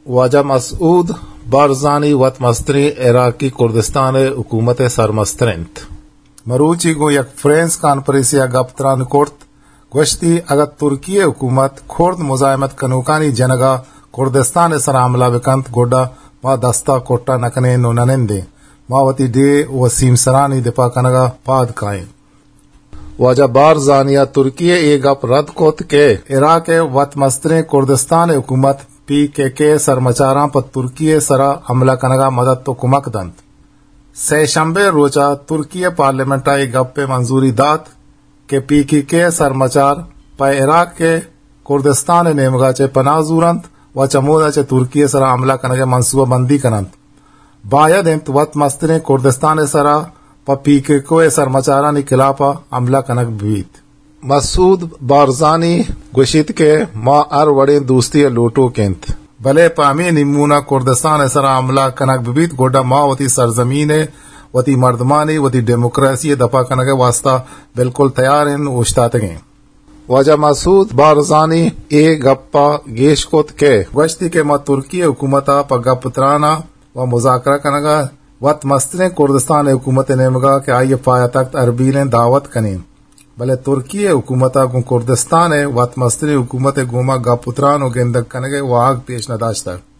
واجہ مسعود بارزانی وت مستریں عراقی کردستان ءِ حکومت ءِ سرمستر اِنت۔ مروچی گوں یک پریس کانفرنسے ءَ گپ تران کرت، گوشتی، اگاں ترکی ءِ حکومت کرد مزاحمت کنوکانی جنگ ءَ کردستان ءِ سرا حملہ بکنت، گڈا ما دست ءَ کٹ ءَ نکنیں ءُ ننندیں۔ ما وتی ڈیھ ءُ سیمسرانی دپا کنگ ءَ پاد کائیں۔ واجہ بارزانی ءَ ترکی ءِ اے گپ رد کت کہ عراق ءِ وت مستریں کردستان ءِ حکومت پی کے کے ءِ سرمچاراں پہ ترکی ءِ سرا حملہ کنگ ءَ مدد ءُ کمک دنت۔ سئے شمبے ءِ روچ ءَ ترکی ءِ پارلیمنٹ ءَ اے گپ ءِ منظوری دات کہ پی کے کے ءِ سرمچار پہ عراق ءِ کردستان ءِ نیمگ ءَ چہ پناہ زورنت ءُ چمودا چہ ترکی ءِ سرا حملہ کنگ ءِ منصوبہ بندی کننت۔ باید اِنت وت مستریں کردستان ءِ سرا پہ پی کے کے ءِ سرمچارانی خلاف ءَ حملہ کنگ بہ بیت۔ مسعود بارزانی گوشیت کہ ما ہر وڑیں دوستی ءِ لوٹوک اِنت، بلے پہ ہمے نیمون ءَ کردستان ءِ سرا حملہ کنگ بہ بیت، گڈا ما وتی سرزمین ءِ، وتی مردمانی، وتی ڈیموکراسی ءِ دفاع کنگ ءِ واستہ بالکل تیار ایں ءُ اوشتاتگ ایں۔ واجہ مسعود بارزانی اے گپ ءَ گیش کت کہ گوشتی کہ ما ترکی ءِ حکومت ءَ پہ گپ تران ءَ ءُ مذاکرہ کنگ ءَ وت مستریں کردستان ءِ حکومت ءِ نیمگ ءَ کہ آئی ءِ پایتخت اربیل اِنت دعوت کنیں، بلے ترکی ءِ حکومت ءَ گوں کردستان ءِ وت مستریں حکومت ءِ گوما گپ ءُ تران ءُ گندگ کنگ ءِ واہگ پیش نہ داشتگ۔